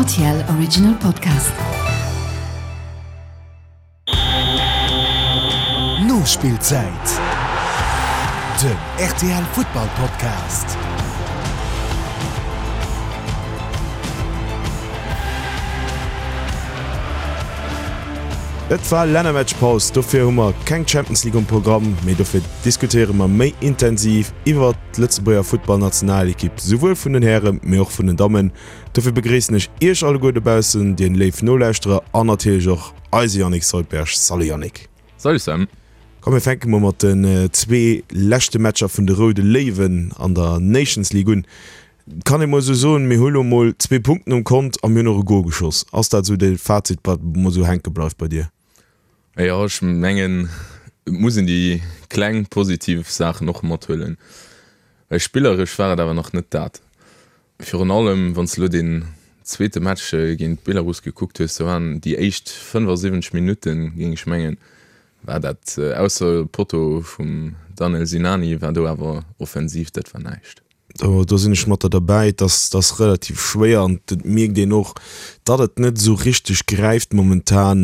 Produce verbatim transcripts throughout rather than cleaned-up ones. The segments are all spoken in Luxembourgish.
R T L Original Podcast. Nospillzäit, den R T L Futtball Podcast. Et war Lännermatchpaus, dofir hu mer keng Champions League um Programm, mee dofir diskutéiere mer méi intensiv iwwert d'Lëtzebuerger Futtballnationalekipp, souwuel vun den Hären, mee och vun den Dammen. Dofir begréissen ech Iech alleguer dobaussen, dir léif Nolauschterer an natierlech och eise Yannick Soldberg. Salut Yannick. Salut Sam. Komm mir fänke mol mat den zwee leschte Matcher vun de Roude Léiwen an der Nations League un. Kann ee mol esou soen, mir hu lo mol zwee Punkten um Kont a mir hunn och e Gol geschoss. Ass dat esou de Fazit, wat mol esou hänke bleift bei dir? Jo, ech mengen, et muss een déi kleng positiv Saachen och mathuelen, well spilleresch war et awer nach net dat. Virun allem, wann s de elo deen zweete Match géint Belarus gekuckt hues, do waren déi éischt fënnefasiwwenzeg Minutten, géing ech mengen, war dat, ausser Potto vum Danel Sinani, war do awer offensiv, dat war näischt. Do do sinn ech mat der derbäi. Et ass, et ass relativ schwéier an et mierkt een och, datt et net esou richteg gräift momentan.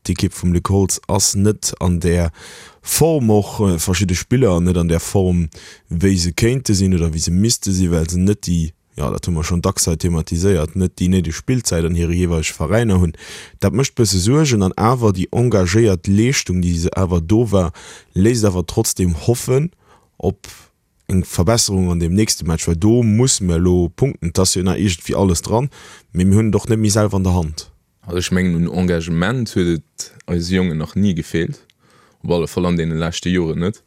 D'Ekipp vum Luc Holtz ass net an där Form, och verschidde Spiller net an där Form, wéi se kéinte sinn oder wéi se misste sinn, well se net déi, jo dat hu mer schonn dacks hei thematiséiert, net déi néideg Spillzäit an hire jeeweilege Veräiner hunn. Dat mécht bësse Suergen an awer déi engagéiert Leeschtung, déi se awer do war, léisst awer trotzdeem hoffen op eng Verbesserung an deem nächste Match, well do musse mir elo punkten. Et ass jo nach iergendwéi alles dran, mee mir hunn et och net méi selwer an der Hand. Also ech mengen, un Engagement huet et eise Jongen nach ni gefeelt, op alle Fall an deene leschte Joren net.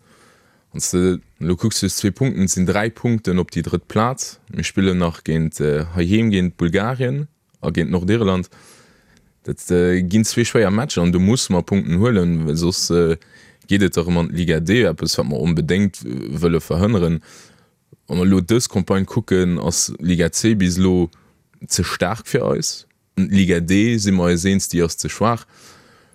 Wann s de elo kucks, du hues zwee Punkten, et sinn dräi Punkten op déi drëtt Plaz. Mir spillen nach géint heiheem géint Bulgarien a géint Nordirland. Dat ginn zwee schwéier Matcher an do musse mer Punkten huelen, well soss geet et erëm an d'Liga D, eppes wat mer onbedéngt wëlle verhënneren. Wa mer elo dës Campagne kucken, ass d'Liga C bis elo ze staark fir eis. D'Liga D si mer eis eens, déi ass ze schwaach.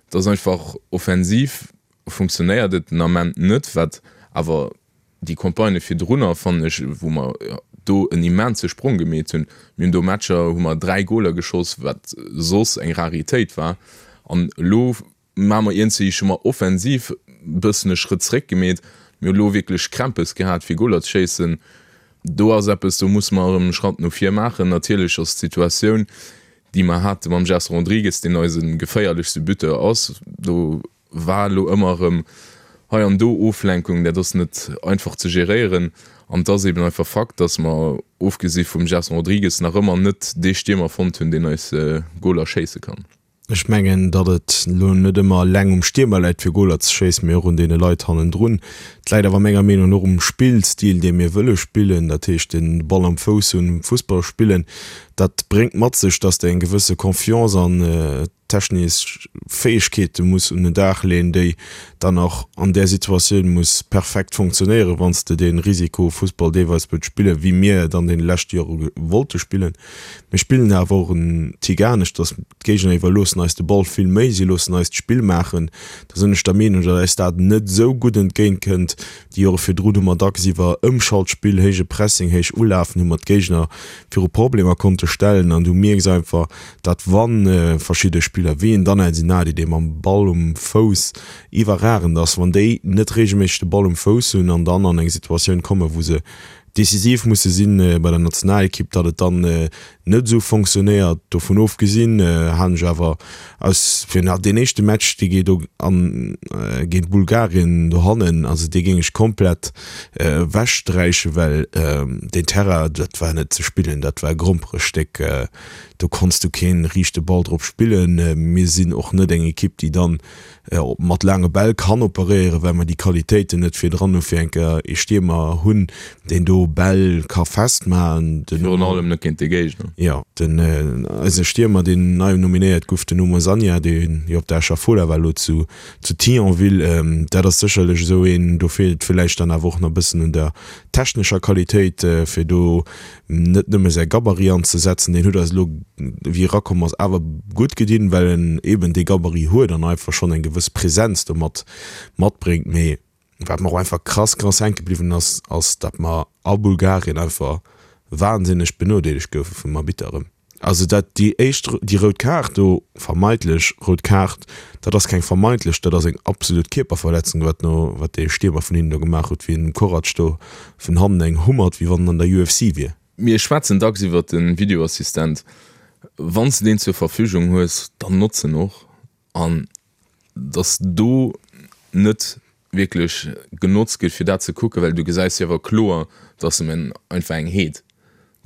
Et ass einfach, offensiv funktionéiert et den Ament net, wat awer déi Campagnë virdrunner, fannen ech, wou mer do en immense Sprong gemeet hunn. Mir hunn do Matcher, hu mer dräi Goler geschoss, wat soss eng Raritéit war. An elo maache mer iergendwéi, hu mer offensiv e bëssen e Schrëtt zréck gemeet. Mir hu elo wierklech Krämpes gehat, fir Goler ze schéissen. Do ass eppes, do musse mer erëm e Schratt no vir maachen. Natierlech ass d'Situatioun, déi mer hate mam Gerson Rodrigues, deen eise geféierlechste Buteur ass, do war elo ëmmer erëm hei an do Oflenkung, dat ass net einfach ze geréieren. An et ass eben einfach Fakt, datt mer, ofgesi vum Gerson Rodrigues, nach ëmmer net dee Stiermer fonnt hunn, deen eis Goler schéisse kann. Ech mengen, datt et elo net ëmmer eleng um Stiermer läit, fir Goler ze schéissen, mee och un deene Leit hannendrun. Et läit awer menger Meenung no och um Spillstil, dee mir wëlle spillen, dat heescht de Ball am Fouss hunn, Fussball spillen. Dat bréngt mat sech, datt s de eng gewësse Confiance an technesch Fäegkeete muss un den Dag leeën, déi dann och an där Situatioun muss perfekt funktionéieren, wann s de dee Risikofussball deelweis wëlls spillen, wéi mir et an deene leschte Jore wollte spillen. Mir spillen awer och en Tick anescht, dass d'Géigner iwwerloossen eis de Ball vill méi, si loossen eis d'Spill maachen. Da sinn ech der Meenung, datt eis dat net esou gutt entgéint kënnt. Déi Jore virdrun hu mer dacks iwwer Ëmschaltspill, héije Pressing, héich Ulafen hu mer d'Géigner viru Problemer konnte stellen an du mierks einfach, datt wa verschidde Spiller wéi en Danel Sinani, dee mam Ball um Fouss iwwerragend ass, wann déi net reegelméisseg de Ball um Fouss hunn an dann an eng Situatioun kommen, wou se decisiv musse sinn bei der Nationalekipp, datt et dann net esou fonctionnéiert. Dovun ofgesinn halen ech awer aus fir nach deen éischte Match, dee geet do an géint Bulgarien dohannen, also dee géing ech komplett ewechsträichen, well deen Terrain, dat war net ze spillen, dat war e Gromperestéck, do konns du kee riichte Ball drop spillen. Mir sinn och net eng Ekipp, déi dann mat laange Bäll kann operéieren, well mer déi Qualitéiten net virdran hu fir eng Kéier ee Stiermer hunn, deen do Bäll ka festmachen. Den Virun allem net géint de Géigner. Jo, den eise Stiermer, deen nei nominéiert gouf, den Oumar Sagna, dee jo op der Escher Fola war, elo zu zu Thionville, dat ass sécherlech esou een, do feelt et villäicht dann awer och nach e bëssen un der technescher Qualitéit, fir do net nëmme säi Gabarit anzesetzen, deen huet eis elo, wéi e erakomm ass, awer gutt gedinn, well en eeben dee Gabarit huet an einfach schonn eng gewëss Präsenz domat matbréngt. Mee wat mer och einfach krass, krass hänke bliwwen ass, ass, datt mer a Bulgarien einfach wahnsinneg benodeelegt goufe vum Arbitter erëm. Also dat déi éischt, déi rout Kaart do, vermeitlech rout Kaart, dat ass keng vermeintlech, dat ass eng absolut Kierperverletzung, wat no, wat dee Stiermer vun hinnen do gemaach huet, wéi en dem Korac do vun hannen eng hummert, wéi wann en an der U F C wier. Mir schwätzen dacks iwwert de Videoassistent. Wann s de deen zur Verfügung hues, dann notz en och. An dass do net wierklech genotzt gëtt, fir dat ze kucken, well du gesäis jo awer kloer, dass em en einfach eng heet.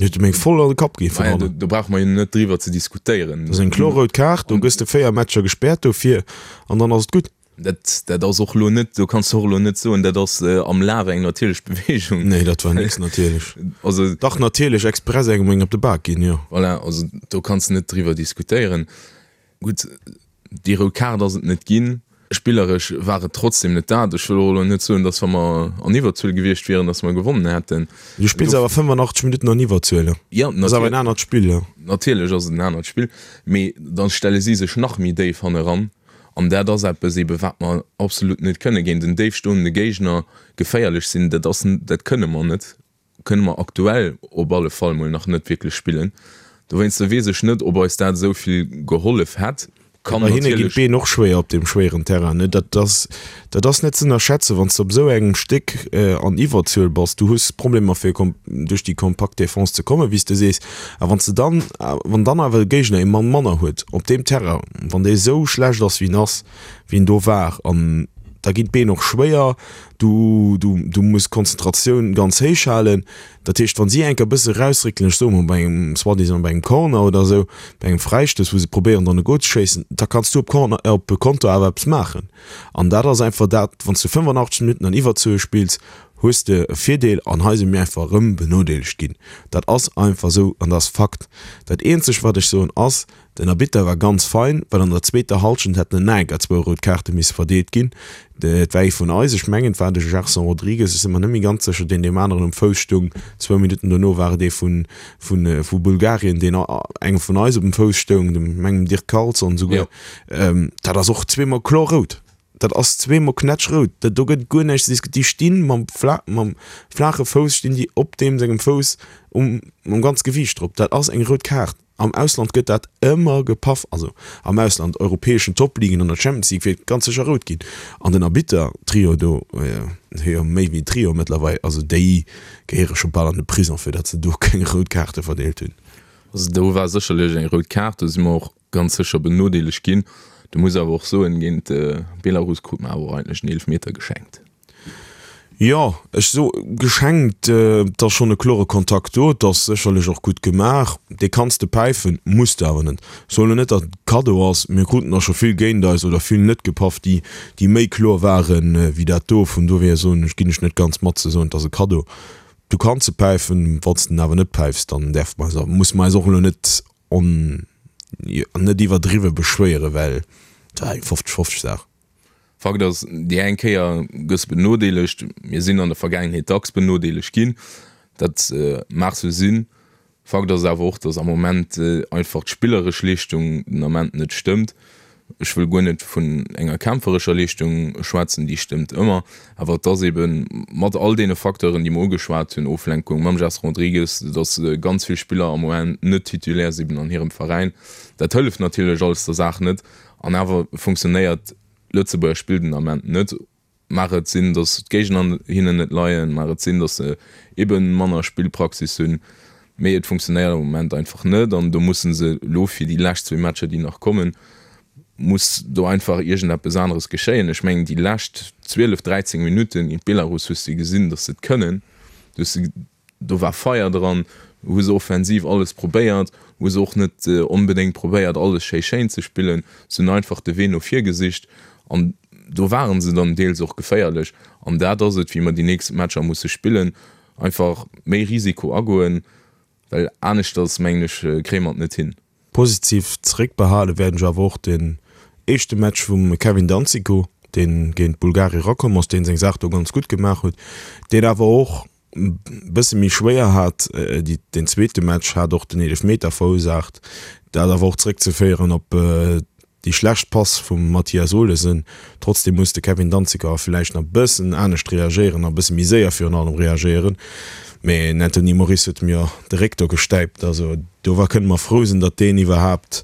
Huet em eng voll an de Kapp gi vun hannen. Do brauche mer jo net driwwer ze diskutéieren. Dat ass eng kloer rout Kaart, do gëss de véier Matcher gespäert dofir an dann ass et gutt. Dat, dat ass och elo net, do kanns de och elo net soen, dat ass am Laf eng natierlech Beweegung. Nee, dat war nix natierlech. Also. Dach natierlech, express engem eng op de Bak ginn, jo. Voilà, also do kanns de net driwwer diskutéieren. Gutt, déi rout Kaart ass et net ginn. Spilleresch war et trotzdem net dat. Ech wëll och elo net soen, datt wa mer an Iwwerzuel gewiescht wieren, datt mer gewonnen hätten. Du spills awer fënnefenachtzeg Minutten an Iwwerzuel. Jo, Dat ass awer en anert Spill, jo. Natierlech ass et en anert Spill, mee da stelle si sech nach méi déif hanneran. An dat ass eppes eebe wat mer absolut net kënnen, géint en déif stoende Géigner geféierlech sinn. Dat ass, dat kënne mer net, kënne mer aktuell op alle Fall mol nach net wierklech spillen. Dowéinster weess ech net, ob eis dat esou vill gehollef hätt. Kann Bei hinne ginn natierlech. d'Been och schwéier op deem schwéieren Terrain, ne? Dat ass, dat ass net ze ënnerschätzen, wann s de op esou engem Stéck an Iwwerzuel bass. Du hues Problemer fir duerch déi kompakt Defense ze kommen, wéi s de sees. A wann s de dann, wann dann awer de Géigner ee Mann manner huet op deem Terrain, wann dee esou schlecht ass wéi en ass, wéi en do war, an da ginn d'Been och schwéier, du, du, du muss d'Konzentratioun ganz héich halen. Dat heescht, wa si eng Kéier e bësse erausréckelen, ech soe mol bei engem, soi-disant bei engem Corner oder esou, bei engem Fräistouss, wou se probéieren dann e Gol ze schéissen, da kanns du op Corner, op Konter awer eppes maachen. An dat ass einfach dat, wann s du fënnefenachtzeg Minutten an Iwwerzuel spills, hues de e Virdeel an hei si mir einfach erëm benodeelegt ginn. Dat ass einfach esou an dat ass Fakt. Dat eenzegt wat ech soen ass, den Arbitter war ganz fein, well an der zweeter Hallschent hätten en enker zwou rout Kaarte misse verdeelt ginn. Et war ee vun eis, ech mengen et war de Gerson Rodrigues, ech si mer net méi ganz sécher, deen deem aneren um Fouss stoung. Zwou Minutten dono war et ee vun vu Bulgarien, deen engem vun eis op dem Fouss stoung, dem mengem Dirk Carlson esouguer. Dat ass och zweemol kloer rout. Dat ass zweemol knätschrout. Dat do gëtt guer näischt ze diskutieren. Déi stinn mam fla mam flaache Fouss stinn déi op deem sengem Fouss um mam ganz Gewiicht drop. Dat ass eng rout Kaart. Am Ausland gëtt dat ëmmer gepaff. Also am Ausland, europäeschen Topligen, an der Champions League wier et ganz sécher rout ginn. An den Arbitter-Trio do, jo méi wéi Trio mëttlerweil, also déi gehéiere scho bal an de Prison, fir datt se do keng rout Kaarte verdeelt hunn. Also do war sécherlech eng rout Kaart, do si mer och ganz sécher benodeelegt ginn. Du muss awer och soen, géint Belarus krut mer awer och eigentlech en Eelefmeter geschenkt. Jo, ech so geschenkt, et ass schonn e klore Kontakt do, et ass sécherlech och gutt gemaach. Dee kanns de päifen, muss de awer net. Ech soen elo net, datt et e Kaddo ass. Mir kruten der scho vill géint eis oder vill net gepaff, déi, déi méi kloer waren wéi dat do. Vun dohier soen ech, ginn ech net ganz mat ze soen, et ass e Kaddo. Du kanns e päifen, wann s de en awer net päifs, dann däerfe mer eis, musse mer eis och elo net on, net iwwerdriwwe beschwéieren, well et war eng fofzeg-fofzeg Saach. Fakt ass, déi eng Kéier gëss benodeelegt. Mir sinn an der Vergaangenheet dacks benodeelegt ginn, dat mag sou sinn. Fakt ass awer och, datt am Moment einfach d'spilleresch Leeschtung den Ament net stëmmt. Ech wëll guer net vun enger kämpferescher Leeschtung schwätzen, déi stëmmt ëmmer, awer et ass ebe mat all deene Facteuren, déi mer ugeschwat hunn, Oflenkung mam Gerson Rodrigues, datt ganz vill Spiller am Moment net Titulaire sinn an hirem Veräin, dat hëlleft natierlech alles der Saach net. An awer funktionéiert d'Lëtzebuerger Spill den Ament net. Mag et sinn, datt d'Géigner hinnen net leien, mag et sinn, datt se ebe manner Spillpraxis hunn, mee et funktionéiert am Moment einfach net an do musse se elo fir déi lescht zwee Matcher, déi nach kommen, muss do einfach iergendeppes aneres geschéien. Ech mengen, déi lescht zwielef, dräizéng Minutte géint Belarus hues de gesinn, datt se et kënnen. Du hues se, do war Feier dran, hu se offensiv alles probéiert, hu se och net onbedéngt probéiert, alles schéi schéin ze spillen. Se hunn einfach de Wee no vir gesicht an do ware se dann deels och geféierlech. An dat ass et, wéi mer déi nächst Matcher musse spillen, einfach méi Risiko agoen, well aneschters, mengen ech, kréie mer et net hin. Positiv zeréckbehale wäerten ech awer och den éischte Match vum Kevin Danzico, dee géint Bulgarien erakomm ass, dee seng Saach do ganz gutt gemaach huet, deen awer och e bësse méi schwéier hat. Deen zweete Match hat och den Eelefmeter verursaacht, dat awer och zeréckzeféieren op déi schlecht Pass vum Mathias Olesen. Trotzdeem muss de Kevin Danziger villäicht nach e bëssen anescht reagéieren a e bësse méi séier virun allem reagéieren. Mee den Anthony Moris huet em jo de Réck do gestäipt. Also Do war kënne mer frou sinn, datt deen iwwerhaapt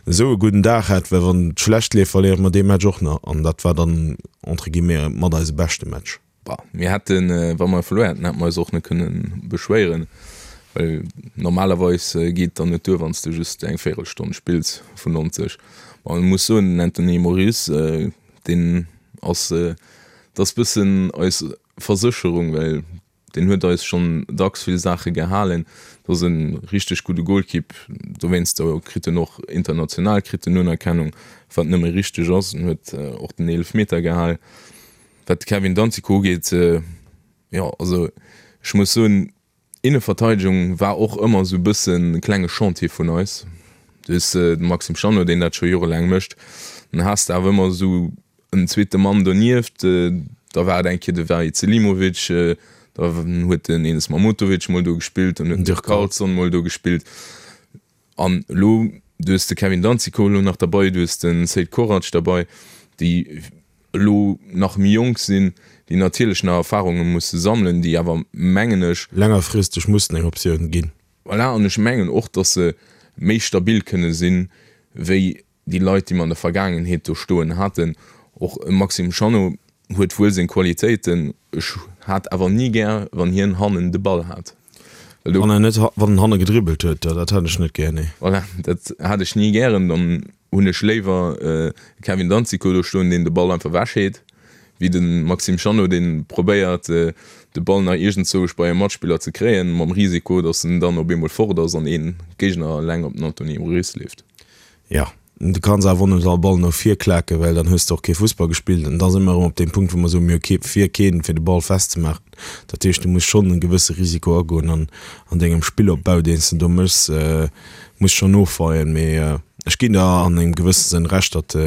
esou e gudden Dag hat, well wann et schlecht leeft, verléiere mer dee Match och nach an dat war dann entre guillemets mat eise beschte Match. Bah, mir hätten, wa mer verluer hätten, hätte mer eis och net kënnen beschwéieren, well normalerweis geet et dann net duer, wann s de just eng Véierelstonn spills vun nonzeg. Bon, ech muss soen, den Anthony Moris, deen ass, dat ass bëssen eis Versécherung, well deen huet eis schonn dacks vill Saache gehalen. Dat ass e richteg gudde Golkipp, dowéinst kritt en och international kritt en Unerkennung, wat nëmme richteg ass. En huet och den Eelefmeter gehal. Wat de Kevin Danzico ugeet, jo, also ech muss soen, Inneverteidegung war och ëmmer esou e bëssen e klenge Chantier vun eis. Du hues de Maxime Chanot, deen dat scho jorelaang mécht. Dann has de awer ëmmer esou en zweete Mann donieft. Da war et eng Kéier de Vahid Selimovic, da huet den Enes Mahmutovic mol do gespillt, dann huet den Dirk Carlson mol do gespillt. An elo, du hues de Kevin Danzico elo nach derbei, du hues de Seid Korac derbei, déi elo nach méi jonk sinn, déi natierlech nach Erfarunge musse sammelen, déi awer, mengen ech. Längerfristeg mussen eng Optioun ginn. Voilà, an ech mengen och, datt se méi stabil kënne sinn, wéi déi Leit, déi mer an der Vergaangenheet do stoen haten. Och e Maxime Chanot huet wuel seng Qualitéiten, ech hat awer ni gär, wann hien hannen de Ball hat. Well do. Wann en net, wann en hanne gedribbelt huet, jo, dat hat ech net gär, nee. Voilà, dat hat ech ni gären. Dann hunn ech léiwer e Kevin Danzico do stoen, deen de Ball einfach ewechheet, wéi de Maxime Chanot, dee probéiert, de Ball nach iergendzouesch bei e Matspiller ze kréien, mam Risiko, datt en dann op eemol fort ass an ee Géigner eleng op den Anthony Moris leeft. Jo, du kanns awer och net all Ball no vir klaken, well dann hues de och kee Fussball gespillt. An da si mer erëm op deem Punkt, wou mer soen, mir hu kee vir keen, fir de Ball festzemaachen. Dat heescht, du muss schonn e gewësse Risiko agoen an an dengem Spillopbau, deen s de do méchs, muss schonn ofweien. Mee ech ginn der an engem gewësse Sënn Recht, datt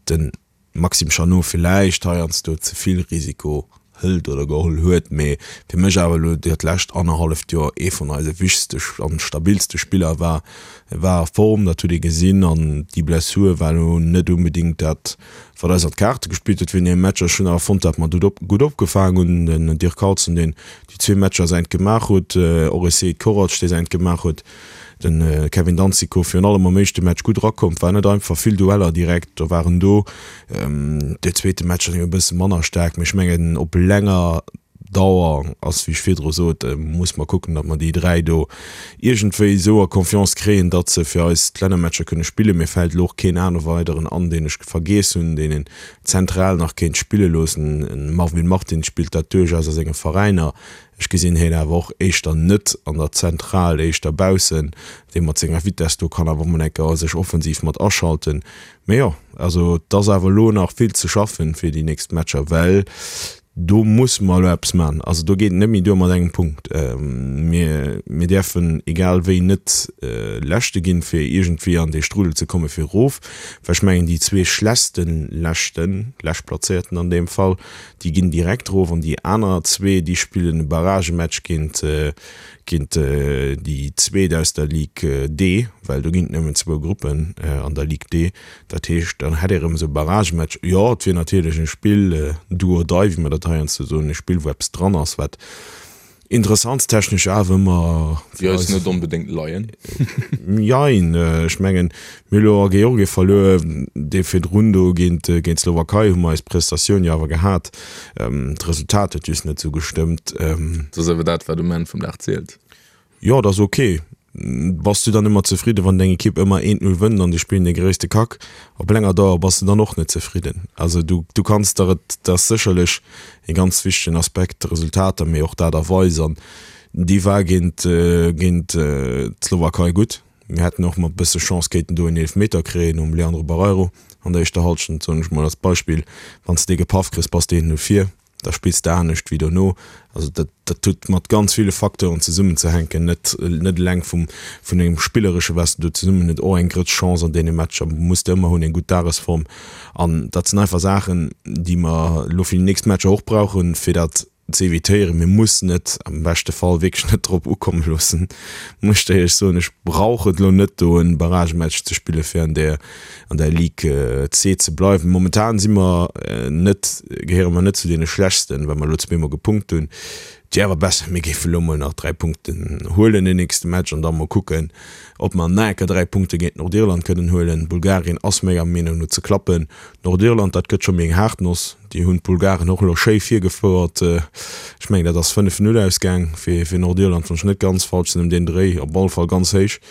de Maxime Chanot villäicht heiansdo ze vill Risiko hëlt oder geholl huet, mee fir mech awer elo dat lescht annerhalleft Joer ee vun eise wichtegste an stabilste Spiller war. E war a Form, dat huet ee gesinn an déi Blessur war elo net onbedéngt dat, wat eis an d'Kaarte gespillt huet wéinst deem Match. Ech hunn awer fonnt, datt mer gutt gutt opgefaangen hunn. Den Dirk Carlson, deen déi zwee Matcher säint gemaach huet, och e Seid Korac, dee säint gemaach huet. Den Kevin Danzico virun allem am éischte Match gutt erakomm, war net einfach, vill Dueller direkt do waren do. De zweete Match ass e bësse manner staark, mee ech mengen op länger Dauer ass, wéi ech virdru sot, muss mer kucken, datt mer déi dräi do iergendwéi esou a Confiance kréien, datt se fir eis d'Lännermatcher kënne spillen. Mir fält elo och keen aner weideren an, deen ech vergiess hunn, deen een zentral nach kéint spille loossen. En Marvin Martins spillt dat duerchaus a senge Veräiner. Ech gesinn hien awer och éischter net an der Zentral, éischter baussen, dee mat senger Vitess do kann awer och mol eng Kéier sech offensiv mat aschalten. Mee jo, also et ass awer elo nach vill ze schaffen fir déi nächst Matcher, well do musse mer elo eppes maachen. Also do geet et net méi duer mat engem Punkt. Mir, mir däerfen egal wéi net Leschte ginn, fir iergendwéi an dee Strudel ze komme fir erof, well ech mengen déi zwee schlechtste Leschten, Leschtplazéierten an deem Fall, Déi ginn direkt erof an déi aner zwee, déi spillen e Barragematch géint géint déi Zweet aus der Ligue D, well do ginn et nëmmen zwou Gruppen an der Ligue D. Dat heescht, dann hätt ee erëm esou e Barragematch. Jo, et wier natierlech e Spill do or die, wéi mer dat heiansdo soen, e Spill, wou eppes dran ass, wat Interessantstechnesch awer ëmmer fir eis net onbedéngt leien. Jein, ech mengen, mir hu elo a Georgie verluer, dee virdrun do géint géint d'Slowakei hu mer eis Prestatioun jo awer gehat. D'Resultat huet just net esou gestëmmt. Dat ass awer dat, wat um Enn vum Dag zielt. Jo, dat ass ok. Bass du dann ëmmer zefridden, wann deng Ekipp ëmmer eent Null wënnt an déi spillen de gréisste Kack? Op länger Dauer bass de dann och net zefridden. Also du, du kanns der et, dat ass sécherlech e ganz wichtegen Aspekt, d'Resultater, mee och d'Aart a Weis. An déi war géint, géint d'Slowakei gutt. Mir hätten och mat bësse Chance kéinten do en Eelefmeter kréien nom Leandro Barreiro an der éischter Hallschent, soen ech mol als Beispill. Wann s de dee gepaff kriss, bass de eent Null vir. Da spills de anescht wéi dono. Also dat, dat huet mat ganz ville Facteuren zesummenzehänken, net, net eleng vum, vun engem Spilleresche wat s de do zesummen huet. Och eng Grëtz Chance an deene Matcher muss de ëmmer hunn, eng gutt Dagesform. An dat sinn einfach Saachen, déi mer elo fir déi nächst Matcher och brauchen, fir dat ze evitéieren. Mir mussen et am beschte Fall wierklech net drop ukomme loossen, muss ech der éierlech soen. Ech brauch et elo net do en Barragematch ze spille fir an der an der Ligue C ze bleiwen. Momentan si mer net, gehéiere mer net zu deene Schlechtsten, well mer elo zweemol gepunkt hunn. Et wier awer besser, mir géife lo mol nach dräi Punkten huelen den nächste Match an da mol kucken, ob mer nach eng Kéier dräi Punkte géint Nordirland kënnen huelen. Bulgarien ass menger Meenung no ze klappen. Nordirland, dat gëtt scho méi eng haart Noss. Déi hunn d'Bulgaren och elo schéi virgefouert. Ech mengen, dat ass fënnef Null ausgaang fir fir Nordirland, wann ech net ganz falsch sinn ëm deen Dréi. Op alle Fall ganz héich.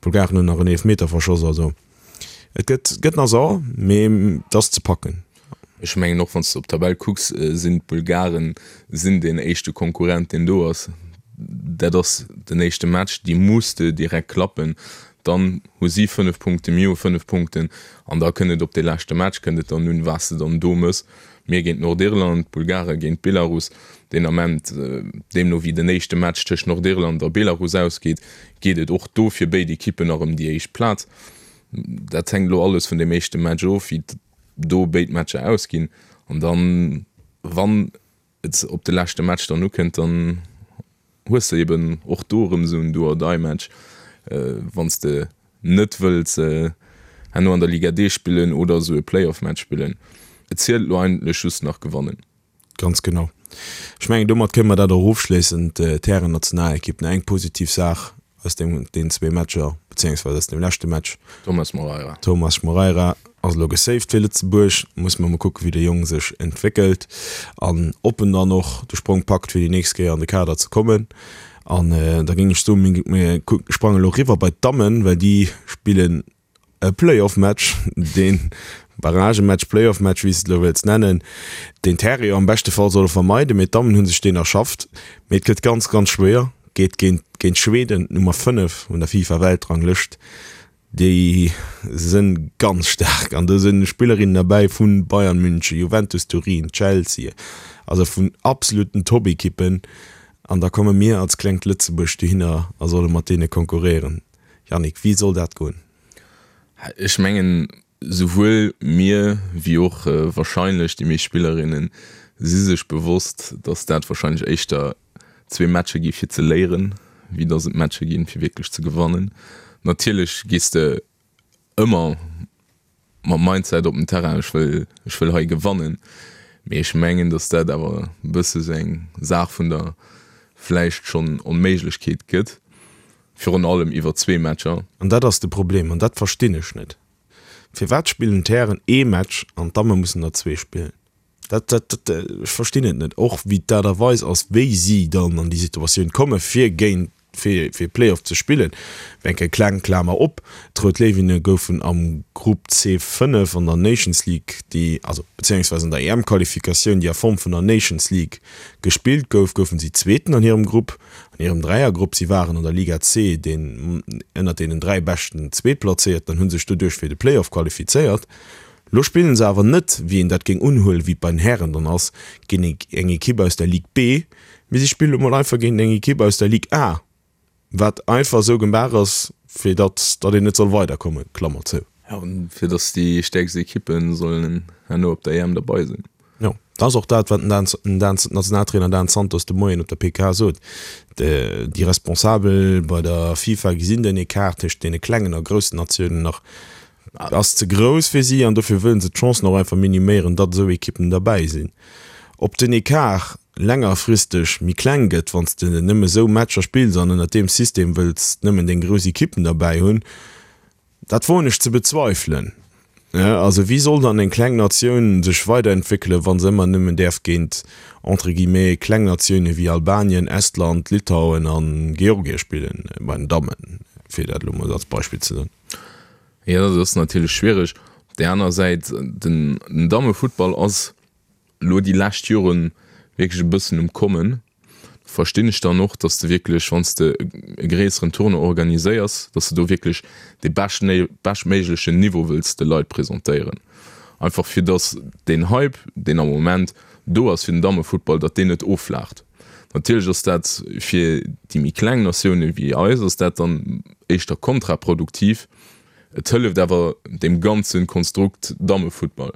D'Bulgaren hunn nach en Eelefmeter verschoss. Also et gëtt gëtt nach sauer, mee et ass ze packen. Ech mengen och wann s de op d'Tabell kucks, sinn d'Bulgaren sinn deen éischte Konkurrent deen do ass. Dat ass den éischte Match, déi muss de direkt klappen. Dann hu si fënnef Punkten, mir hu fënnef Punkten an da kënnt et op dee leschte Match kënnt et dann un, wat s de dann do mëss. Mir géint Nordirland, d'Bulgare géint Belarus. Deen Ament, deemno wéi den éischte Match tëscht Nordirland a Belarus ausgeet, geet et och do fir béid Ekippen nach ëm déi éischt Plaz. Dat hänkt elo alles vun deem éischte Match of, wéi do béid Matcher ausginn. An dann, wann et op de leschte Match dann ukënnt, dann hues de eben och do erëm esou en Do-or-die-Match, wann s de net wëlls herno an der Liga D spillen oder esou e Play-off-Match spillen. Et zielt elo eigentlech just nach gewannen. Ganz genau. Ech mengen, domat kënne mer dat och ofschléissen, d'Hären-Nationalekipp. Nach eng positiv Saach aus deem, deenen zwee Matcher, beziéungsweis aus dem leschte Match. Thomas Moreira. Thomas Moreira ass elo gesaved fir Lëtzebuerg. Musse mer mol kucken, wéi de Jong sech entwéckelt an ob en dann och de Sprong packt, fir déi nächst Kéier an de Kader ze kommen. An da géing ech soen, mir sprange elo eriwwer bei d'Dammen, well déi spillen e Playoff-Match, deen Barragematch, Playoff-Match, wéi s de et elo wëlls nennen, deen d'Häre jo am beschte Fall solle vermeiden, mee d'Dammen hu sech deen erschafft. Mee et gëtt ganz, ganz schwéier, geet géint géint Schweden, d'Nummer fënnef un der FIFA-Weltranglëscht. Déi sënn ganz staark an do sënn Spillerinnen derbäi vu Bayern München, Juventus Turin, Chelsea, also vun absoluten Top-Ekippen. An da komme mir als klengt Lëtzebuerg dohinner a solle mat deene konkurréieren. Yannick, wéi soll dat goen? Ech mengen, souwuel mir wéi och wahrscheinlech déi meescht Spillerinne si sech bewosst, datt dat wahrscheinlech éischter zwee Matcher gi fir ze léieren, wéi datt et Matcher ginn, fir wierklech ze gewannen. Natierlech gees de ëmmer mam Mindset op den Terrain, ech wëll, ech wëll hei gewannen. Mee ech mengen, datt dat awer e bësse sou eng Saach vun der vläicht schonn Onméiglechkeet gëtt. Virun allem iwwer zwee Matcher. An dat ass de Problem, an dat verstinn ech net. Firwat spillen d'Hären ee Match an d'Damme mussen der zwee spillen? Dat, dat, dat, ech verstinn et net. Och wéi d'Aart a Weis ass, wéi si dann an déi Situatioun komme fir géint, fir, fir Play-off ze spillen. Eng kleng Klamer op, D'Rout Léiwinne goufen am Grupp C fënnef an der Nations League, déi, also bezéiungsweis an der E M-Qualifikatioun, déi a Form vun der Nations League gespillt gouf, goufen si Zweeten an hirem Grupp, an hirem Dräiergrupp. Si waren an der Liga C deen ënnert deenen dräi beschten Zweetplazéierten an hu sech doduerch fir de Play-off qualifizéiert. Lo spillen se awer net, wéi een dat géing unhuelen, wéi et bei den Hären dann ass, géint eng Ekipp aus der Ligue B, mee si spille lo mol einfach géint eng Ekipp aus der Ligue A. Wat einfach esou gemaach ass, fir datt datt een net soll weiderkommen, Klammer zou. Jo, fir datt déi stäerkst Ekippe sollen herno op der E M derbei sinn. Jo, dat ass och dat, wat den Dan, Dan, Nationaltrainer Dan Santos de Moien op der P K sot. Déi Responsabel bei der FIFA gesinn den Ecart tëscht deene klengen a groussen Natiounen nach ass ze grouss fir si an dofir wëllen se d'Chancen och einfach miniméieren, datt esou Ekippen derbäi sinn. Ob den Ecart längerfristeg méi kleng gëtt, wann s de nëmme esou Matcher spills an ënnert deem System wëlls nëmmen deng grouss Ekippen derbäi hunn, dat woen ech ze bezweifelen. Also wéi soll dann eng kleng Natioun sech weiderentwéckelen, wa se ëmmer nëmmen däerf géint, entre guillemets, kleng Natioune wéi Albanien, Estland, Litauen a Georgie spillen, bei den Dammen, fir dat elo mol als Beispill ze soen. Jo, dat ass natierlech schwiereg. Op där aner Säit, den Dammefuttball ass elo déi lescht Jore wierklech e bëssen um Kommen. Do verstinn ech dann och, datt s de wierklech, wann s de e gréisseren Tournoi organiséiers, datt s de do wierklech dee beschtméiglechen Niveau wëlls de Leit presentéieren. Einfach fir datt deen Hype, deen am Moment do ass fir den Dammefuttball, datt deen net offlaacht. Natierlech ass dat fir déi méi kleng Natioune wéi eis ass dat dann éischter kontraproduktiv. Et hëlleft awer deem ganze Konstrukt Dammefuttball.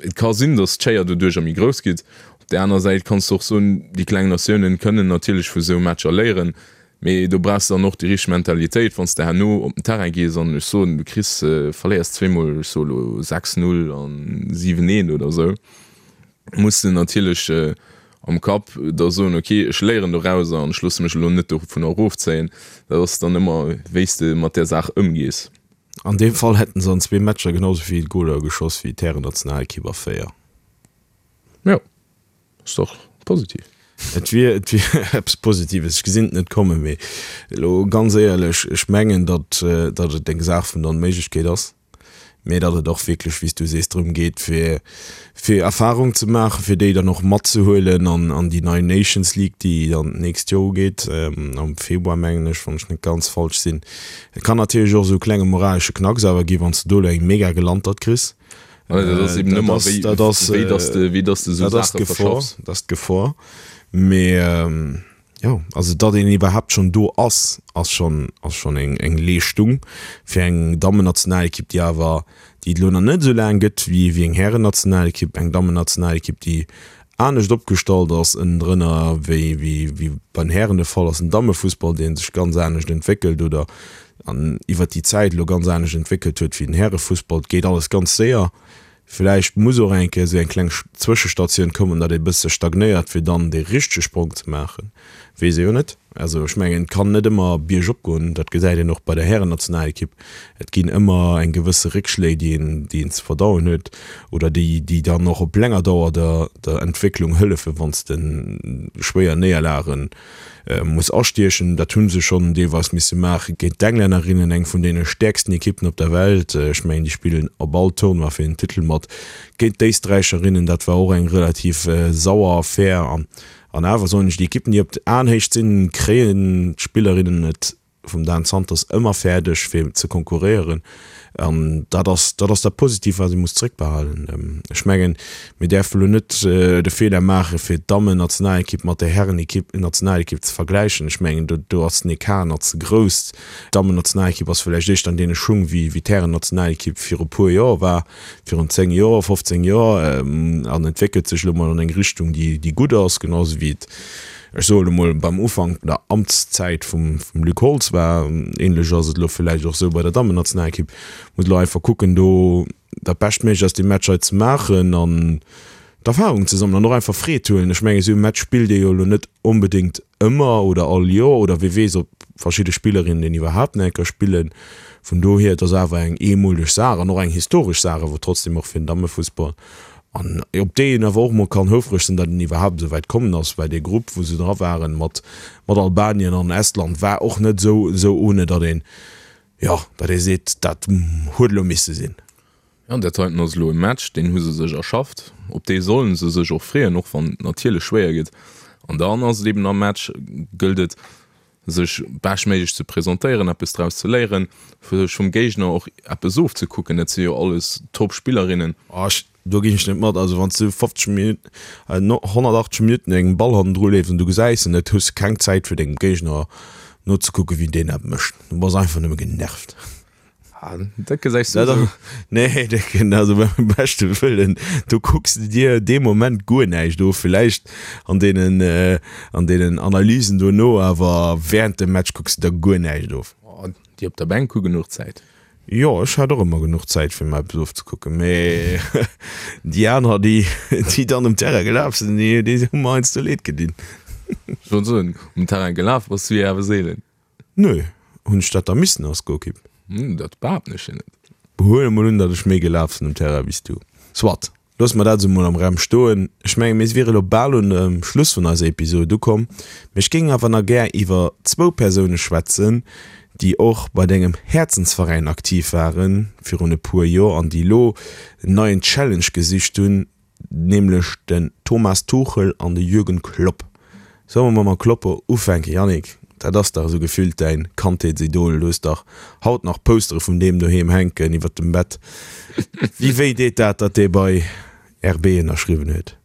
Et ka sinn, datt d'Schéier doduercher méi grouss gitt. Op där aner Säit kanns de och soen, déi kleng Natiounen kënnen natierlech vu sou Matcher léieren, mee do brauchs de dann och déi richteg Mentalitéit, wann s de herno op den Terrain gees an ech soen, du kriss, verléiers zweemol, ech soe lo sechs, null an siwen, eent oder sou, muss de natierlech am Kapp da soen, ok, ech léieren dorauser an ech loosse mech elo net dovunner erofzéien. Dat ass dann ëmmer, wéi s de mat där Saach ëmgees. An deem Fall hätten se an zwee Matcher genau sou vill Goler geschoss wéi d'Härennationalekipp a véier. Jo, ass dach positiv. Et wier, et wier eppes Positives. Ech gesinn et net kommen, mee elo ganz éierlech, ech mengen, datt, datt et eng Saach vun der Onméiglechkeet ass. mee datt et och wierklech, wéi s du sees, drëm geet, fir, fir Erfahrung ze maachen, fir déi dann och matzehuelen an, an déi nei Nations League, déi dann d'nächst Joer ugeet, am Februar, mengen ech, wann ech net ganz falsch sinn. Et kann natierlech och esou e klenge moralesche Knacks awer ginn, wann s de do elo eng mega Gelantert kriss. Dat ass eben ëmmer, wéi, wéi dass de, wéi dass de esou Saache verschaffs. Dat ass d'Gefor. Mee. Jo, also datt een iwwerhaapt schonn do ass, ass schonn, ass schonn eng, eng Leeschtung fir eng Dammennationalekipp, déi awer, déi et elo nach net esou laang gëtt wéi, wéi eng Härennationalekipp, eng Dammennationalekipp, déi anescht opgestallt ass ënnendrënner wéi, wéi, wéi bei den Hären de Fall ass. En Dammefussball, dee sech ganz anescht entwéckelt oder an iwwert déi Zäit elo ganz anescht entwéckelt huet wéi den Härefussball. Et geet alles ganz séier. Villäicht muss och eng Kéier esou eng kleng Zwëschestatioun kommen, datt ee bësse stagnéiert, fir dann dee richtege Sprong ze maachen. Weess ee jo net. Also ech mengen, et kann net ëmmer biergop goen. Dat gesäit een och bei der Härennationalekipp. Et ginn ëmmer eng gewësse Réckschléi, déi een, déi een ze verdauen huet oder déi, déi dann och op länger Dauer der, der Entwécklung hëllefen, wann s de schwéier Néierlagen muss astiechen. Dat hu se schonn deelweis misse maache géint d'Englännerinnen, eng vun deene stäerksten Ekippen op der Welt. Ech mengen, déi spillen op all Tournoi fir den Titel mat. Géint d'Éisträicherinnen, dat war och eng relativ sauer Affär. An awer soen ech, déi Ekippen, déi op Aenhéicht sinn, kréien d'Spillerinnen et vum Dan Santos ëmmer fäerdeg fir ze konkurréieren an dat ass dat ass dat Positivt wat ee muss zréckbehalen. Ech mengen mir däerfe lo net de Feeler maache fir d'Dammennationalekipp mat der Herrenekipp Nationalekipp ze vergläichen. Ech mengen do do ass den Ecart nach ze grouss. D'Dammennationalekipp ass vläicht éischter an deene Schung wéi wéi d'Härennationalekipp viru puer Joer war, virun zéng Joer, fofzéng Joer an entwéckelt sech elo mol an eng Richtung déi déi gutt ass, genau esou wéi et ech soe lo mol, beim Ufank der Amtszäit vum Luc Holtz war. Ähnlech ass et elo villäicht och esou bei der Dammennationalekipp. Muss elo einfach kucken, do dat Beschtméiglecht aus deem Match hei ze maachen an d'Erfahrung ze sammelen an och einfach Freed huelen. Ech mengen, esou e Match spillt ee jo elo net onbedéngt ëmmer oder all Joer oder wie weess, ob verschidde Spillerinnen deen iwwerhaapt nach eng Kéier spillen. Vun dohier, et ass awer eng eemoleg Saach an och eng historesch Saach awer trotzdem och fir den Dammefussball. An op déi een awer och mol kann houfreg sinn, datt een iwwerhaapt esou wäit kommen ass, well dee Grupp, wou se dra waren, mat mat Albanien an Estland, war och net esou esou ohne, datt een, jo, datt ee seet, dat huet elo misse sinn. Jo, dat heiten ass elo e Match, deen hu se sech erschafft, op dee solle se sech och freeën, och wann et natierlech schwéier gëtt. An dann ass et eben am Match, gëllt et, sech beschtméiglech ze presentéieren, eppes draus ze léieren, sech vum Géigner och eppes ofzekucken. Dat si jo alles Top-Spillerinnen. Oh, ech, do ginn ech net mat. Also wann s du fofzeg Minutten, honnertachtzeg Minutten engem Ball hannendru leefs an du gesäis en net, hues de keng Zäit fir dengem Géigner nozekucken, wéi deen dat mécht. Du bass einfach nëmme genervt. Ah, dat gesäis du esou. Nee, Décken, also beim beschte Wëllen, do kucks de dir dee Moment guer näischt of. Villäicht an deenen, an deenen Analysen dono, awer während dem Match kucks de der guer näischt of. Oh, déi op der Bänk hu genuch Zäit. Jo, ech hat och ëmmer genuch Zäit fir mer eppes ofzekucken, mee déi aner, déi, déi dann um Terrain gelaf sinn, déi, déi hu mer heiansdo leed gedinn. Ech wollt soen, um Terrain gelaf bass du jo awer seelen. Nö, hunn ech dat da missen als Golkipp? Dat behaapten ech jo net. Huele mol un, datt ech méi gelaf sinn um Terrain wéi s du. Soit, loosse mer dat esou mol am Raum stoen. Ech menge mir wiere lo bal un dem Schluss vun eiser Episod ukomm, mee ech géing awer nach gär iwwer zwou Persoune schwätzen, déi och bei dengem Häerzensveräin aktiv waren virun e puer Joer an déi lo en neien Challenge gesicht hunn, nämlech den Thomas Tuchel an de Jürgen Klopp. Solle mer mam Kloppo ufänken, Yannick? Dat ass dach esou gefillt däin Kandheetsidol. Du hues dach haut nach Postere vun deem doheem hänken iwwert dem Bett. Wéi wéi deet dat, datt dee bei R B ënnerschriwwen huet?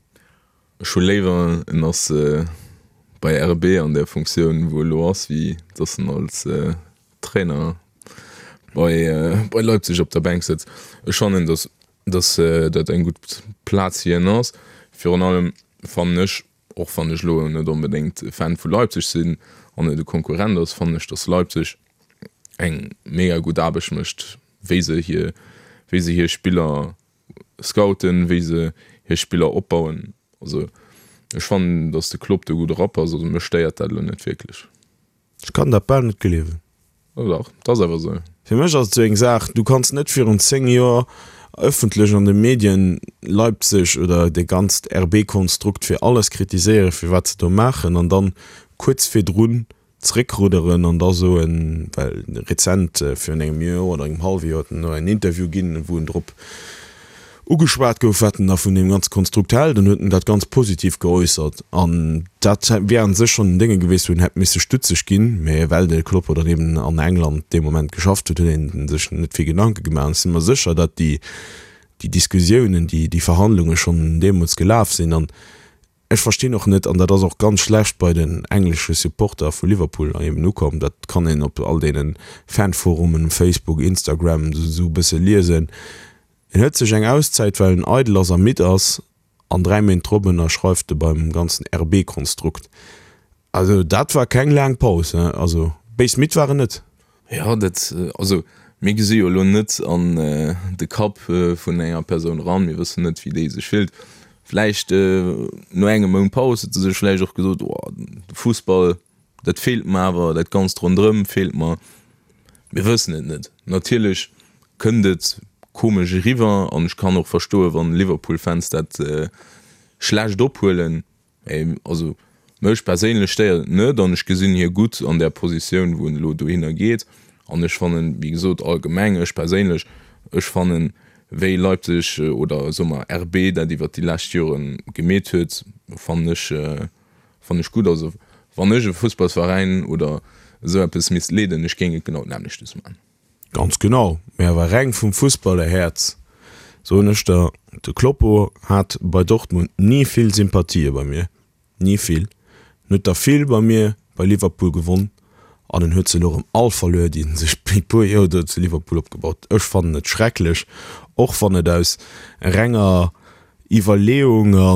Ech hu léiwer en ass bei R B an der Funktioun wou e lo ass, wéi datt en als Trainer bei bei Leipzig op der Bänk sëtzt. Ech fannen, datt datt dat eng gutt Plaz fir hien ass. Virun allem fannen ech, och wann ech elo net onbedéngt Fan vu Leipzig sinn an et e Konkurrent ass, fannen ech, datt Leipzig eng mega gutt Aarbecht mécht, wéi se hir wéi se hir Spiller scouten, wéi se hir Spiller opbauen. Also Ech fannen, datt de Klopp do gutt erap ass, also mech stéiert dat elo net wierklech. Ech kann dat bal net gleewen. Jo dach, et ass awer esou. Fir mech ass et esou eng Saach, du kanns net virun zéng Joer ëffentlech an de Medien Leipzig oder dee ganzt R B-Konstrukt fir alles kritiséieren, fir wat se do maachen, an dann kuerz virdrun zréckrudderen an da soen, well rezent, virun engem Joer oder engem hallwe Joer, huet en en Interview ginn, wou en drop ugeschwat gouf, wat en da vun deem ganze Konstrukt hält, an huet en dat ganz positiv geäussert. An dat wär a sech schonn en Dénge gewiescht, wou en hätt misse stutzeg ginn, mä well de Kloppo dann eben an England dee Moment geschafft huet, huet een sech net vill Gedanke gemaach. An ech si mer sécher, datt déi Diskussiounen, déi Verhandlunge schonn deemools gelaf sinn. An ech verstinn och net, an dat ass och ganz schlecht bei den englesche Supporter vu Liverpool eben ukomm, dat kann een op all deene Fanforumen, Facebook, Instagram esou e bësse liesen, En huet sech eng Auszäit, well en eidel ass a midd ass, an dräi Méint drop ënnerschreift e beim ganzen R B-Konstrukt. Also dat war keng laang Paus, he. Also béis midd war en net. Jo, dat, also mir gesi jo elo net an de Kapp vun enger Persoun eran, mir wëssen net, wéi déi sech fillt. Vläicht no engem Mount Paus huet se sech vläicht och gesot, oh, de Fussball, dat feelt mer awer, dat Ganzt ronderëm feelt mer. Mir wëssen et net. Natierlech kënnt et komesch eriwwer an ech kann och verstoen, wann Liverpool-Fans dat schlecht ophuelen. Mee also mech perséinlech stéiert et net an ech gesinn hie gutt an där Positioun, wou en elo dohinner geet. An ech fannen, wéi gesot, allgemeng, ech perséinlech, ech fannen, wéi Leipzig oder soe mer R B dat iwwert déi lescht Jore gemeet huet, fannen ech, fannen ech gutt. Also wann ech e Fussballsveräin oder esou eppes misst leeden, ech géing et genau d'nämmlechtes man. Ganz genau, mee awer reng vum Fussballerhäerz soen ech der, de Kloppo hat bei Dortmund ni vill Sympathië bei mir, ni vill. En huet der vill bei mir bei Liverpool gewonn an en huet se elo erëm all verluer, déi en sech déi puer Joer do zu Liverpool opgebaut. Ech fannen et schrecklech, och wann et aus renger Iwwerleeung a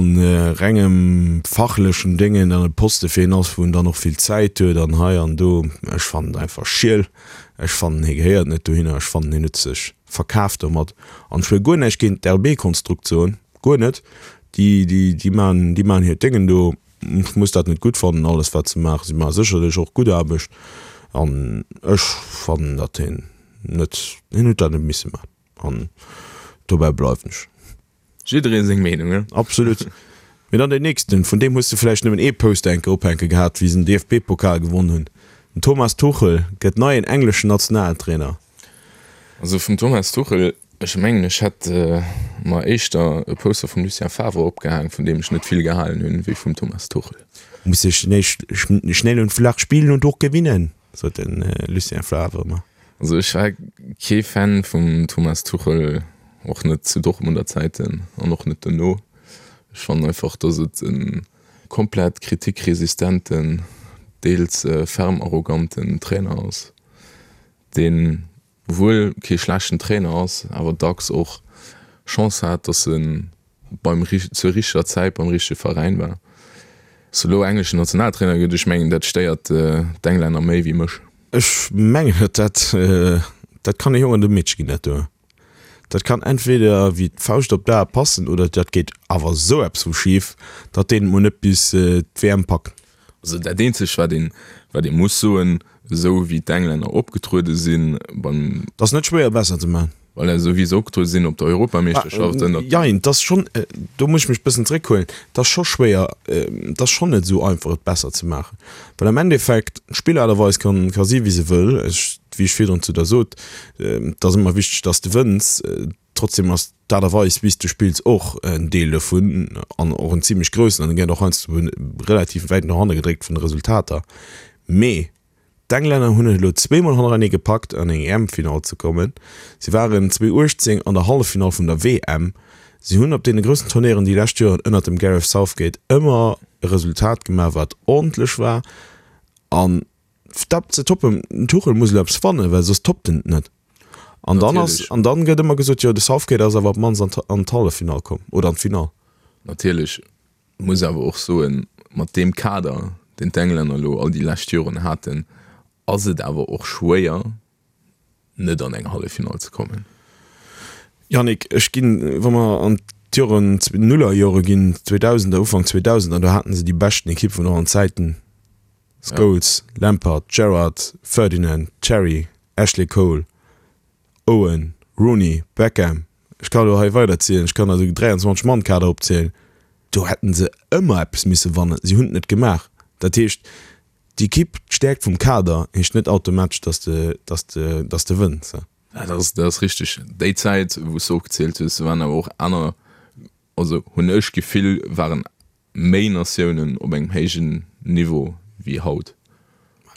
rengem fachlechen Déngen an e Poste fir een ass, wou en dann och vill Zäit huet an hei an do. Ech fannen et einfach schiel. Ech fannen, hie gehéiert net dohinner. Ech fannen, hien huet sech verkaaft domat. An ech wëll guer näischt géint d'R B-Konstrukt soen, guer net. Déi, déi, déi maachen, déi maachen hiert Déngen do. Ech muss dat net gutt fannen, alles wat se maachen. Si maache sécherlech och gutt Aarbecht. An ech fannen, datt hien net, hien huet dat net misse maachen. An dobäi bleiwen ech. Jidderee seng Meenung, he? Absolut. Mee dann deen nächsten, vun deem hues de vläicht nëmmen ee Poster enke ophänke gehat, wéi se den D F B-Pokal gewonn hunn. Den Thomas Tuchel gëtt neien engleschen Nationaltrainer. Also vum Thomas Tuchel, ech mengen ech hätt mer éischter e Poster vum Lucien Favre opgehaang, vun deem ech net vill gehalen hunn, wéi vum Thomas Tuchel. Muss ech schnell und flach spielen und och gewinnen, sot de Lucien Favre ëmmer. Also ech war kee Fan vum Thomas Tuchel, och net zu Dortmunder Zäiten an och net dono. Ech fannen einfach, dass et e komplett kritikresistenten, deels ferm arroganten Trainer ass, deen wuel kee schlechten Trainer ass, awer dacks och Chance hat, dass e beim zur richteger Zäit beim richtege Veräin war. Dass e lo engleschen Nationaltrainer gëtt, ech mengen dat stéiert d'Englänner méi wéi mech. Ech mengen dat dat kann e Jong an e Meedche ginn dat do. Dat kann entweder wéi d'Fauscht op d'A passen oder dat geet awer esou eppes vu schif, datt deen et mol net bis d'W M packt. Also dat eenzegt wat een wat ee muss soen, esou wéi d'Englänner opgetruede sinn beim. Et ass net schwéier besser ze maachen. Voilà, esou wéi se opgetruede sinn op der Europameeschterschaft ënnert. Jein, et ass schonn, do muss ech mech bëssen zréckhuelen, et ass scho schwéier, et ass schonn net esou einfach et besser ze maachen, well am Endeffekt d'Spillaart a Weis kann ka si wéi se wëll. Ech, wéi ech virdrun zu der sot, et ass ëmmer wichteg, dass de wënns, trotzdem ass d'Aart a Weis wéi s de spills och en Deel dovun an och en zimlech groussen an e gëtt och heiansdo relativ wäit no hanne gedréckt vun de Resultater. Mee D'Englänner hunn et elo zweemol hannerenee gepackt an eng E M-Finall ze kommen. Si waren zweedausendachtzéng an der Halleffinall vun der W M. Si hunn op deene groussen Turnéieren déi lescht Joren ënnert dem Gareth Southgate ëmmer e Resultat gemaach wat ordentlech war. An dat ze toppen, den Tuchel muss elo eppes fannen, well soss toppt en et net. An dann ass, Natierlech. an dann gëtt ëmmer gesot, jo de Southgate ass awer op d'mannst an an d'Halleffinall komm oder an d'Finall. Natierlech. Muss awer och soen, mat deem Kader, deen d'Englänner elo all déi lescht Joren haten, ass et awer och schwéier, net an eng Halleffinall ze kommen. Yannick, ech ginn, wa mer an d'Joren, d'Nullerjore ginn, d'Zweedausender, Ufank Zweedausender, do haten se déi beschten Ekipp vun allen Zäiten, Scholes, Lampard, Gerrard, Ferdinand, Terry, Ashley Cole, Owen, Rooney, Beckham, ech kann elo hei weiderzielen, ech kann der esou dräianzwanzeg Mann Kader opzielen, do hätten se ëmmer eppes misse wannen, si hunn et net gemaach. Dat heescht, d'Ekipp, d'Stäerkt vum Kader heescht net automatesch, dass de, dass de, dass de wënns. Dat ass, dat ass richteg. Déi Zäit, wou s de opgezielt hues, do waren awer och aner, also hunn ech d'Gefill, waren méi Natiounen op engem héijen Niveau wéi haut.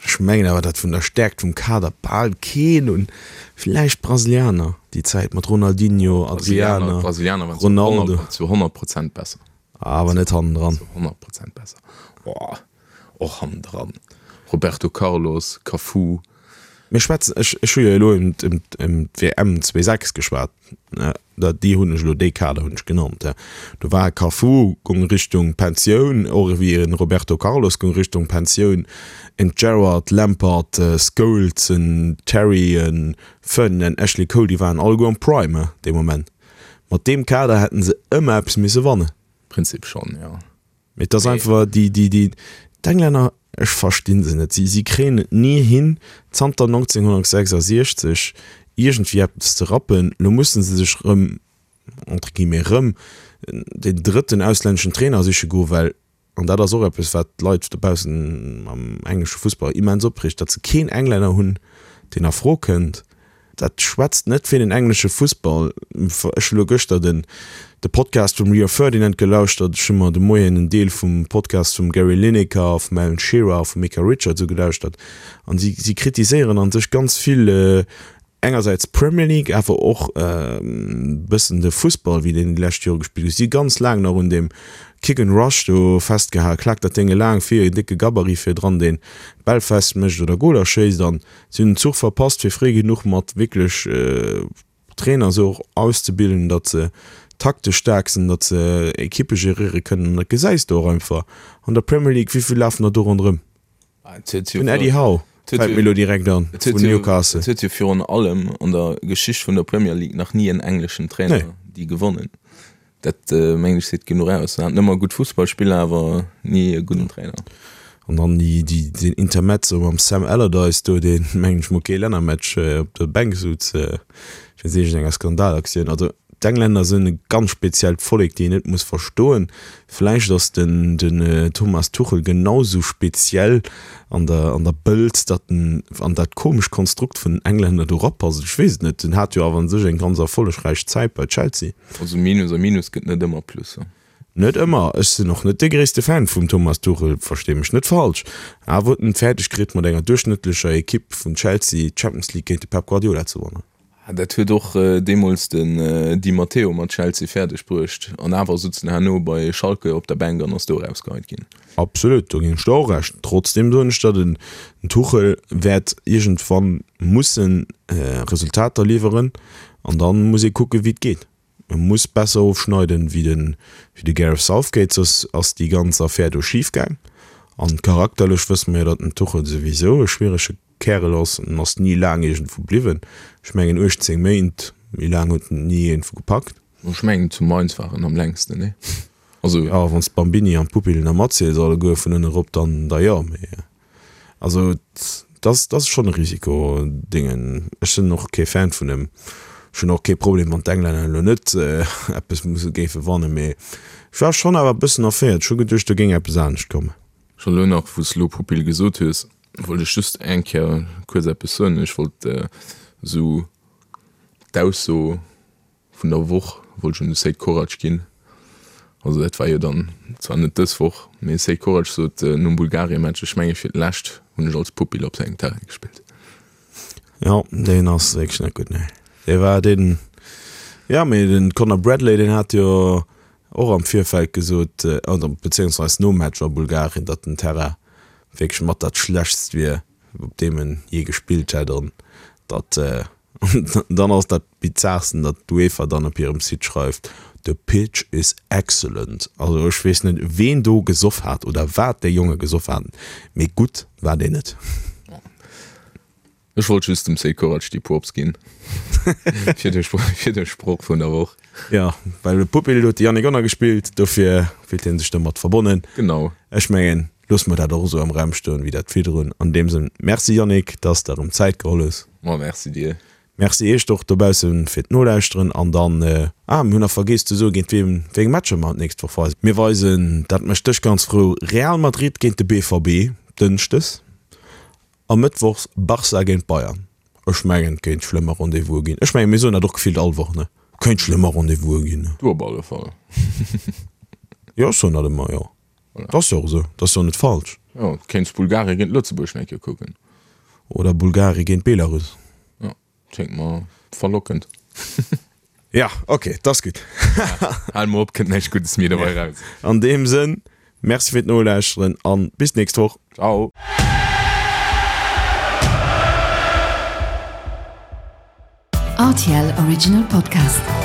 Ech mengen awer, datt vun der Stäerkt vum Kader bal keen un, villäicht d'Brasilianer déi Zäit mat Ronaldinho, Adriano, D'Brasilianer waren Ronaldo. zu honnert Prozent besser. Awer net hannendran. Zu honnert Prozent besser. Boah, och hannendran. Roberto Carlos, Cafu. Mir schwätzen, ech, ech hu jo elo ëm, ëm, ëm d'W M zwee sechs geschwat, ne, da, déi hunn ech elo, dee Kader hunn ech genannt, ja. Do war Cafu, goung Richtung Pensioun, och ewéi en Roberto Carlos goung Richtung Pensioun, en Gerrard, Lampard, Scholes, en Terry, en Ferdinand, Ashley Cole, déi waren alleguer am Prime, dee Moment. Mat deem Kader hätten se ëmmer eppes misse wannen. Prinzip schonn, jo. Mee et ass einfach déi, déi, déi, d'Englänner, ech verstinn se net, si, si kréien et ni hin, zanter neunzehnhundertsechsundsechzig iergendwéi eppes ze rappen. Lo mussen se sech erëm, entre guillemets erëm, deen drëtten auslänneschen Trainer siche goen, well, an dat ass och eppes, wat d'Leit dobaussen am englesche Fussball immens opreegt, datt se keen Englänner hunn, deen a Fro kënnt. Dat schwätzt net fir den englesche Fussball. Ech hu lo gëschter den de Podcast vum Rio Ferdinand gelauschtert, ech hu mer de Moien en Deel vum Podcast vum Gary Lineker, vum Alan Shearer a vum Micah Richards ugelauschtert an si si kritiséieren an sech ganz vill engersäits d'Premier League, awer och e bëssen de Fussball wéi deen déi lescht Jore gespillt gouf. Si hu ganz laang nach un deem Kick and Rush do festgehal, klaakt dat Déng elaang vir, en décke Gabarit virdran deen d'Bäll festmécht oder Goler schéisst an si hunn den Zuch verpasst fir fréi genuch mat wierklech Trainer esou och auszebilden, datt se taktesch staark sinn, datt se Ekippe geréiere kënnen an dat gesäis de och einfach an der Premier League, wéi vill lafen der do ronderëm? Den Eddie Howe fält mir elo direkt an vun Newcastle. Et huet jo virun allem an der Geschicht vun der Premier League nach ni en engleschen Trainer déi gewonnen. Dat mengen ech seet genuch aus. En hat ëmmer gutt Fussballspiller, awer ni e gudden Trainer. An dann déi, déi, deen Intermezzo mam Sam Allardyce do, deen, mengen ech mol, kee Lännermatch op der Bänk sutz wéinst iergendenger Skandalaktioun. Also d'Englänner sinn e ganz speziellt Vollek, déi een net muss verstoen. Vläicht ass den, den Thomas Tuchel genau sou speziell an der, an der Bëlz, datt en an dat komescht Konstrukt vun den Englänner do rapasst. Ech weess et net. En hat jo awer un sech eng ganz erfollegräich Zäit bei Chelsea. Also Minus a Minus gëtt net ëmmer Plus. Net ëmmer. Ech sinn och net de gréisste Fan vum Thomas Tuchel, verstee mech net falsch. Awer huet en et fäerdeg kritt mat enger duerchschnëttlecher Ekipp vun Chelsea d'Champions League géint de Pep Guardiola ze wannen. Dat huet och deemools den Di Matteo mat Chelsea fäerdeg bruecht an awer sutz en herno bei Schalke op der Bänk an ass do erausgeheit ginn. Absolut, do ginn ech der och Recht. Trotzdem soen ech der, den Tuchel wäert iergendwann mussen Resultater liwweren an dann muss ee kucken wéi et geet. E muss besser ofschneiden wéi de wéi de Gareth Southgate, soss ass déi ganz Affär do schif gaang. An charakterlech wësse mer jo, datt den Tuchel souwisou e schwierege Kärel ass. En ass ni laang iergendwou bliwwen. Ech mengen uechtzéng Méint, méi laang huet en et ni iergendwou gepackt. Ech mengen zu Mainz war en am längsten, nee? Also. Jo, wann s d'Bambini an d'Pupillen nach matziels alleguer vun ënne rop, dann da jo, mee also et ass, et ass schonn e Risiko, Dingen. Ech sinn och kee Fan vun em. Ech hunn och kee Problem, wann d'Englänner elo net eppes musse géife wannen, mee ech war schonn awer e bëssen erféiert. Ech hu geduecht, do géing eppes anescht kommen. Scho elo nach, wou s elo Pupille gesot hues, wollt ech just eng Kéier kuerz eppes soen. Ech wollt esou d'Ausso vun der Woch wollt ech un de Seyd Korac ginn. Also dat war jo dann zwar net dës Woch, mee Seyd Korac sot nom Bulgarien-Match, ech menge fir d'lescht hunn ech als Pupille op sengem Terrain gespillt. Jo, deen ass wierklech net gutt, nee. Dee war deen, jo, mee den Conor Bradley, deen hat jo och am Virfeld gesot, oder beziehungsweis nom Match a Bulgarien, datt den Terrain wierklech mat dat schlechtst wier, op deem en jee gespillt hätt an datt dann ass dat Bizarsten, datt d'UEFA dann op hirem Site schreift, The pitch is excellent. Also ech weess net, ween do gesoff hat oder wat déi Jonge gesoff haten, mee gutt war deen net. Ech wollt just dem Sekorac déi Props ginn fir de fir de Sproch vun der Woch. Jo, well de Pupil huet de Yannick Gonner gespillt, dofir fillt hie sech domat verbonnen. Genau. Ech mengen, loosse mer dat och esou am Raum stoen, wéi dat virdrun. An deem Sënn, Merci Yannick, dass de erëm Zäit geholl hues. Ma merci dir. Merci iech och dobaussen fir d'Nolauschteren an dann, ah mir hunn nach vergeess ze soen, géint wiem, wéi eng Matcher mer d'nächst Woch weisen. Mir weisen, dat mécht dech ganz frou, Real Madrid géint de BVB dënschdes a mëttwochs Barça géint Bayern. Ech mengen et kéint schlëmmer Rendez-vouse ginn. Ech mengen mir soen dat och gefillt all Woch, ne? Kéint schlëmmer Rendez-vouse ginn. Du op alle Fall. Jo ech soen dat ëmmer, jo. Dat ass jo och esou, dat ass jo net falsch. Jo, kéints Bulgarien géint Lëtzebuerg nach eng Kéier kucken. Oder Bulgarien géint Belarus. Jo, kléngt mer verlockend. Ja, ok, dat ass gutt. Hal mol op, kënnt näischt Guddes méi dobäi raus. An deem Sënn, Merci fir d'Nolauschteren an bis d'nächst Woch. Ciao. Rtl Original Podcast.